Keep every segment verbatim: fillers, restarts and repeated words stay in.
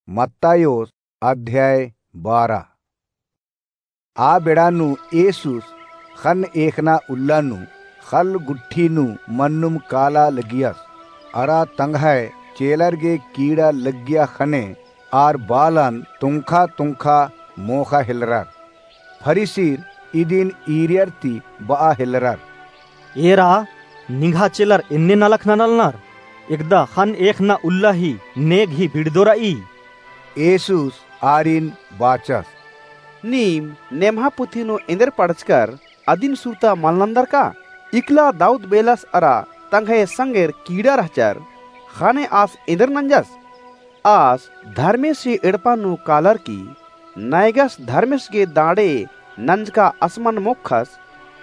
मत्तायोस अध्याय बारह। आ बेड़ा नू येसुस ख़न्न एख़ना उल्ला नू ख़ल्ल गुट्ठी नू मन्नुम काला लगियस। अरा तंग्है चेलर गे कीड़ा लग्गिया ख़ने आर बालन तुंखा तुंखा मोख़ा हेलरर। फरीसिर इदिन ईरियर ती बआ हेलरर। एरा, निंग्हा चेलर एन्ने नलख ननालनर, एकदा ख़न्न एख़ना उल्ला ही नेग ही बिड़दो रई। येसुस आरिन बाचस। नीम नेम्हा पुथी नू एन्देर पढ़चकर अदिन सुरता मल नन्दर का? इकला दाऊद बेलस अरा तंग्है संगेर कीड़ा रहचर, ख़ने आस एन्देर नंजस? आस धर्मेस ही एड़पा नू कालर की नैगस धर्मेस गे दाड़े नंजका असमन मोख़स,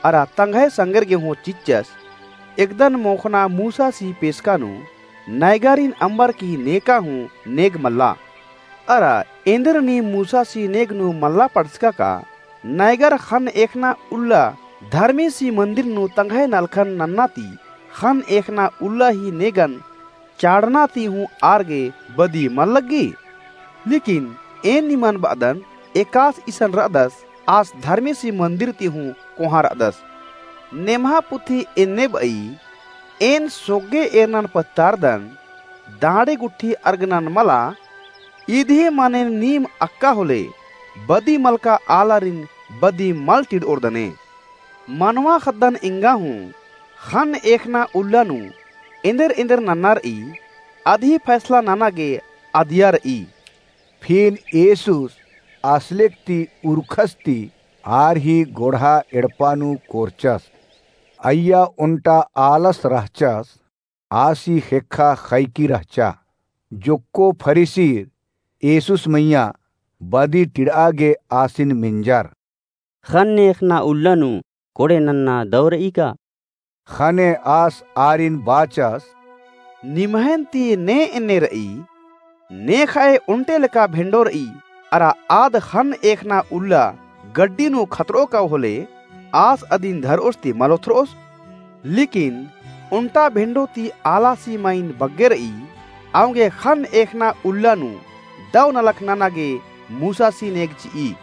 अरा तंग्है संगेर गे हूँ चिच्चस, एकदन मोख़ना मूसासी पेसका नू नैगारिन अम्बर की नेका हूँ नेग मल्ला। अरा एन्देर नीम मूसासी नेग नू मल्ला पढ़चका का? नैगर ख़न्न एख़ना उल्ला धर्मेसी मन्दिर नू तंग्है नलखन नन्ना ती ख़न्न एख़ना उल्ला ही नेगन चाड़ना ती हूँ आर गे बदी मल लग्गी? लेकिन एन निमन बअदन, एकास इसन रअदस, आस धर्मेसी मन्दिर ती हूँ कोहाँ रअदस। नेम्हा पुथी एन्ने बई, एन सोग्गे एरनन पत्तारदन, दाड़े गुट्ठी अर्गनन मला, इदिहे मानेन नीम अक्का होले, बदी मलका आलारिन बदी मल टिड़ओरदने। मनवा ख़द्दन एंगा हूँ, ख़न्न एख़ना उल्ला नू एन्देर एन्देर नन्ना रई, अदही फैसला नना गे अदिया रई। फिन येसुस असलेक ती उरखस ती आर ही गोड़हा एड़पा नू कोरचस। अइय्या ओन्टा आलस रहचस, आसी ख़ेक्खा ख़ैकी रहचा। जोक्को फरीसिर येसुस मइय्याँ बदी टिड़आ गे आसिन मेंजर। ख़न्न एख़ना उल्ला नू कोड़े नन्ना दौ रई का? ख़ने आस आरिन बाचस। निम्हैन ती ने एन्ने रई, ने ख़ाय ओन्टे लेका भेंडो रई, अरा आद ख़न्न एख़ना उल्ला गड्डी नू खतरओ काव होले, आस अदिन धरओस ती मल ओथरओस। लेकिन ओन्टा भेंडो ती आलासी माइन बग्गे रई, औंगे ख़न्न एख़ना उल्ला नू दौ नलख नना गे मूसासी नेग चिई।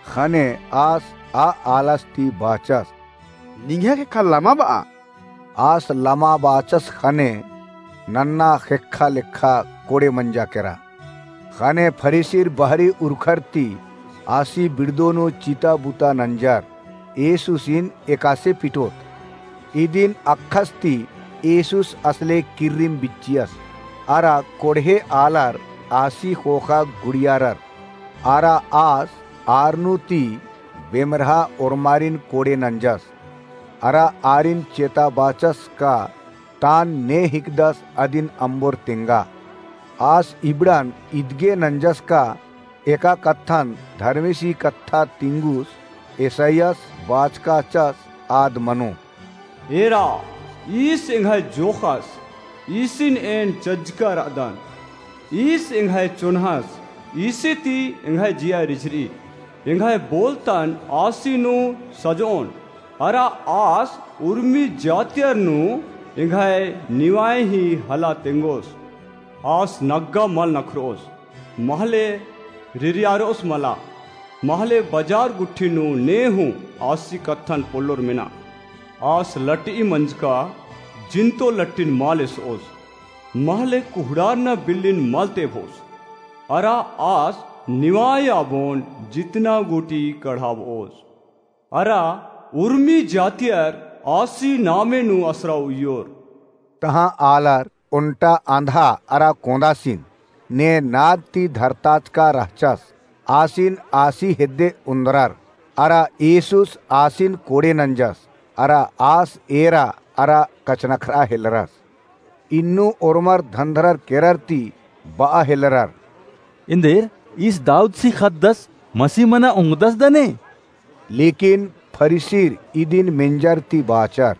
ख़ने आस आ आलस ती बाचस। निंग्है ख़ेक्खा लमा बआ। आस लमा बाचस ख़ने नन्ना ख़ेक्खा लेखा कोड़े मंजा केरा। ख़ने फरीसिर बहरी उरखर ती आसी बिड़दो नू चिता बुता नंजर, येसुसिन एकासे पिटोत। इदिन अक्खस ती येसुस असले किर्रिम बिच्चियस, अरा कोड़हे आलर आसी ख़ोख़ा गुड़ियारर, अरा आस आर नू ती बेमरहा ओर्मारिन कोड़े नंजस। अरा आरिन चेता बाचस का तान ने हिकदस अदिन अम्बोर तेंगा। आस इबड़न इदगे नंजस का एका कत्थन धर्मेसी कत्था तिंगुस एसायस बाचकाचस आद मनो। एरा, ईस एंग्है जोख़स, ईसिन एन चज्जका रअदन। ईस एंग्है चोन्हस, ईसी ती एंग्है जिया रिझरई। एंग्है बोलतन आसी नू सजओन, अरा आस उर्मी जातियर नू एंग्है निवाय ही हला तेंगोस। आस नग्गा मल नखरओस, महले रिरियारओस मला, महले बजार गुट्ठी नू ने हूँ आसी कत्थन पोल्लोर मेना। आस लटई मंजका जिन्तो लट्टिन मल एसओस, महले कुहड़ारना बिल्लिन मल तेभोस। अरा आस निवाय आबोन जितना गूटी कढ़ाबओस। अरा उर्मी जातियर आसी नामे नू असरा उइयोर। तहाँ आलर ओन्टा आन्धा अरा कोंदासिन ने नाद ती धरताचका रहचस। आसिन आसी हेद्दे ओन्द्रर, अरा येसुस आसिन कोड़े नंजस, अरा आस एरा अरा कछनखरआ हेलरस। इन्नु ओर्मर धन्धरर केरर ती बआ हेलरर। एन्देर ईस दाऊदसी ख़द्दस मसीह मना ओंगदस दने? लेकिन फरीसिर इदिन मेंजर ती बाचर।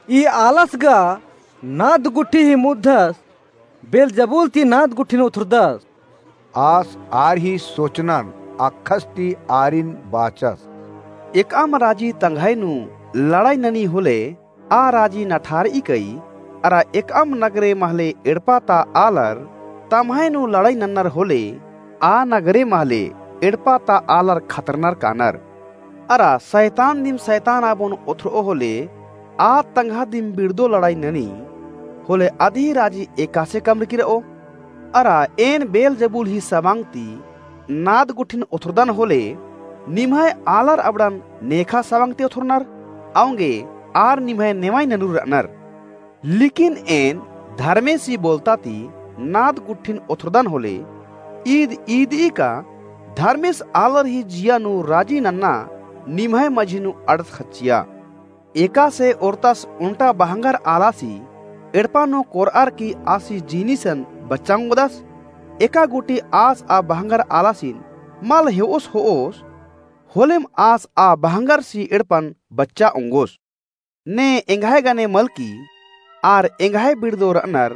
ई आलस गा नाद गुट्ठी ही मुद्दस, बेलजबूल ती नाद गुट्ठिन उथुरदस। आस आर ही सोचनन अक्खस ती आरिन बाचस। एकअम राजी तंग्है नू लड़ाई ननी होले, आ राजी नठारई कई, अरा एकअम नगरे महले एड़पा ता आलर तम्है नू लड़ाई नन्नर होले, आ नगरे महले एड़पा ता आलर खतरनर कानर। अरा सैतान दिम सैतान आबोन ओथरओ होले, आ तंग्हा दिम बिड़दो लड़ाई ननी होले, अदही राजी एकासे कमरकी रओ। अरा एन बेलजबूल ही सबांग ती नाद गुट्ठिन ओथरदन होले, निम्है आलर अबड़न नेखा सबांग ती ओथरनर, औंगे आर निम्है नेवाई ननुर रअनर। लेकिन एन धर्मेसी बोलता ती नाद गुट्ठिन ओथरदन होले, ईद ईदई का धर्मेस आलर ही जिया नू राजी नन्ना निम्है मझी नू अड़स खच्चिया। एकासे ओरतस ओन्टा बहंगर आलासी एड़पा नू कोरअर की आसी जीनिसन बच्चा ओंगदस। एका गूटी आस आ बहंगर आलासिन मल हेओस होओस, होलेम आस आ बहंगरसी एड़पन बच्चा ओंगोस। ने एंग्है गने मलकी, आर एंग्है बिड़दो रअनर,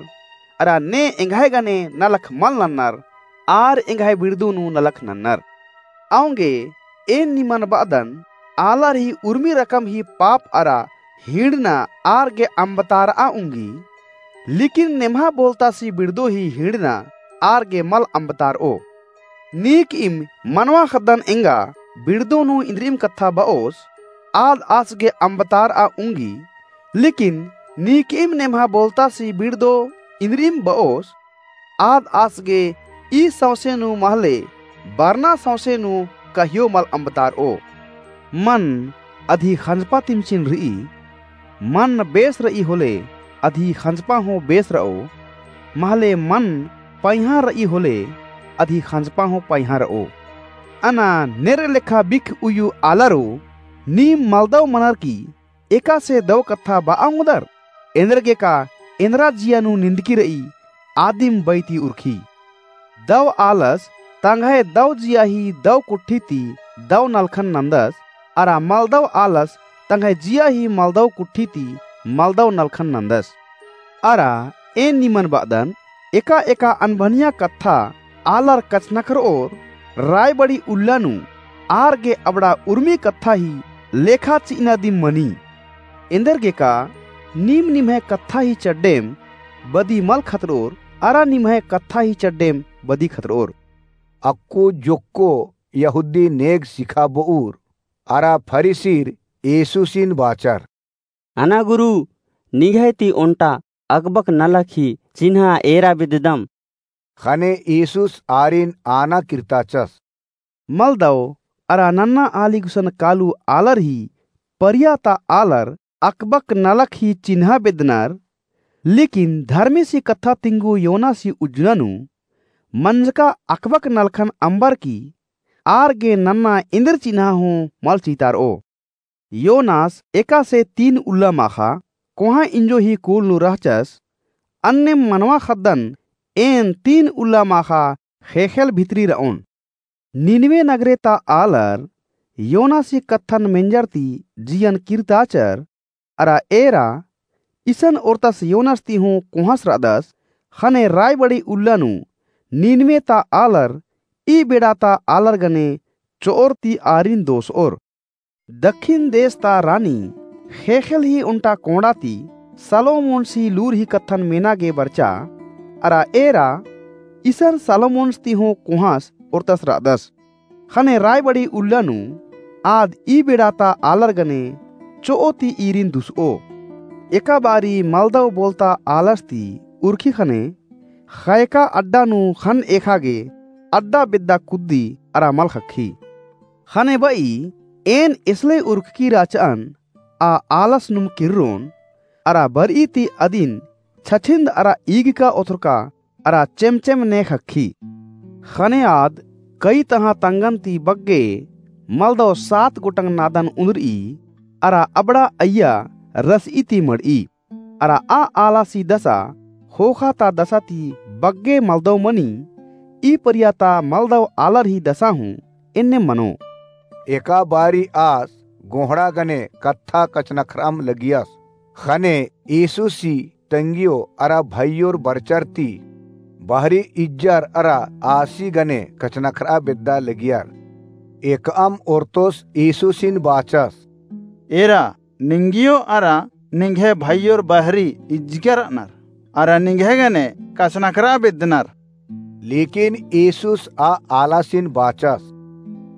अरा ने एंग्है गने नलख मल नन्नर, आर एंग्है बिड़दो नू नलख नन्नर। औंगे एन निमन बअदन, आलर ही उर्मी रकम ही पाप अरा हिंड़ना आर गे अम्बतारआ उंगी, लेकिन नेम्हा बोलतासी बिड़दो ही हिंड़ना आर गे मल अम्बतारओ। नीकइम मनवा ख़द्दन एंगा बिड़दो नू इन्द्रिइम कत्था बओस, आद आस गे अम्बतारआ उंगी, लेकिन नीकइम नेम्हा बोलतासी बिड़दो इन्द्रिइम बओस, आद आस गे ई सौंसे नू महले बरना सौंसे नू कहियो मल अम्बतारओ। मन अदही ख़ंजपा तिम चिन्ह रई, मन बेस रई होले अदही ख़ंजपा हूँ बेस रओ, महले मन पैंहा रई होले अदही ख़ंजपा हूँ पैंहा रओ। अना नेर लेखा बिख उइयु आलरो, नीम मलदव मनर की एकासे दव कत्था बआ ओंगदर? एन्देरगे का एन्द्रा जिया नू निंदकी रई, आदिम बई ती उरखी। दव आलस तंग्है दव जिया ही दव कुट्ठी ती दव नलखन नन्दस, अरा मलदव आलस तंग्है जिया ही मलदव कुट्ठी ती मलदव नलखन नन्दस। अरा एन निमन बअदन, एका एका अनभनिया कत्था आलर कछनखरओर, रायबड़ी उल्ला नू आर गे अबड़ा उर्मी कत्था ही लेखा चिअना दिम मनी। एन्देरगे का नीम निम्है कत्था ही चड्डेम बदी मल खतरओर, अरा निम्है कत्था ही चड्डेम बदी खतरओर। अक्कु जोक्को यहूदी नेग सिखाबओर अरा फरीसीर येसूसिन बाचर। अना गुरु, निंग्है ती ओन्टा अकबक नलख ही चिन्हा एरा बेद्ददम। ख़ने येसूस आरिन आना किर्ताचस। मलदव अरा नन्ना आली गुसन कालू आलर ही परिया ता आलर अकबक नलख ही चिन्हा बेद्दनर, लेकिन धर्मेसी कत्था तिंगु योनासी उज्जना नू मंजका अकबक नलखन अम्बर की आर गे नन्ना एन्देर चिन्हा हूँ मल चितारओ। योनास एकासे तीन उल्ला माख़ा कोहाँ इंजो ही कूल नू रहचस, अन्नेम मनवा ख़द्दन एन तीन उल्ला माख़ा ख़ेख़ेल भितरी रओन। नीनवे नगरे ता आलर योनासी कत्थन मेंजर ती जियन किर्ताचर, अरा एरा इसन ओर्तस योनास ती हूँ कोहाँस रअदस, ख़ने रायबड़ी उल्ला नू नीनवे ता आलर ई बेड़ा ता आलर गने चोओर ती आरिन दोसओर। दक्खिन देस ता रानी ख़ेख़ेल ही ओन्टा कोंड़ा ती सलोमोन्स ही लूर ही कत्थन मेना गे बरचा, अरा एरा इसन सलोमोन्स ती हूँ कोहाँस ओर्तस रअदस। ख़ने रायबड़ी उल्ला नू आद ई बेड़ा ता आलर गने चोओ ती ईरिन दुसओ। एका बारी मलदव बोलता आलस ती उरखी ख़ने ख़यका अड्डा नू ख़न्न एख़ा गे अड्डा बेद्दा कुद्दी अरा मल ख़क्खी। ख़ने बई एन एसले उरखकी रहचअन, आ आलस नुम किर्रोन, अरा बरई ती अदिन छछिन्द अरा ईगका ओथरका अरा चेमचेम ने ख़क्खी। ख़ने आद कई तहाँ तंगन ती बग्गे मलदव सात गोटंग नादन उन्दरई, अरा अबड़ा अइय्या रसई ती मड़ई। अरा आ आलासी दसा ख़ोख़ा ता दसा ती बग्गे मलदव मनी, ई परिया ता मलदव आलर ही दसा हूँ एन्ने मनो। एका बारी आस गोंहड़ा गने कत्था कछनखरअम लगियस, ख़ने येसुसी तंगियो अरा भइयोर बरचर ती बहरी इज्जर अरा आसी गने कछनखरआ बेद्दा लगियर। एकअम ओर्तोस येसुसिन बाचस, एरा निंगियो अरा निंग्है भइयोर बहरी इज्जकर रअनर, अरा निंग्है गने कछनखरआ बेद्दनर। लेकिन ईसुस आ आलासिन बाचस,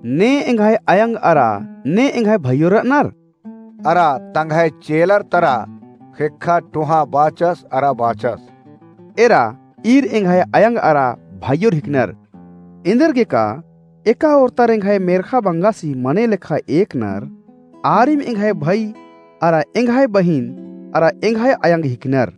ने एंग्है अयंग अरा ने एंग्है भइयोर र'अनर? अरा तंग्है चेलर तरा ख़ेक्खा टोंहा बाचस अरा बाचस, एरा ईर एंग्है अयंग अरा भइयोर हिकनर। एन्देरगेका एका ओर्तर एंग्है मेर्ख़ा बंगासी मने लेखा एकनर, आरिम एंग्है भई अरा एंग्है बहिन अरा एंग्है अयंग हिकनर।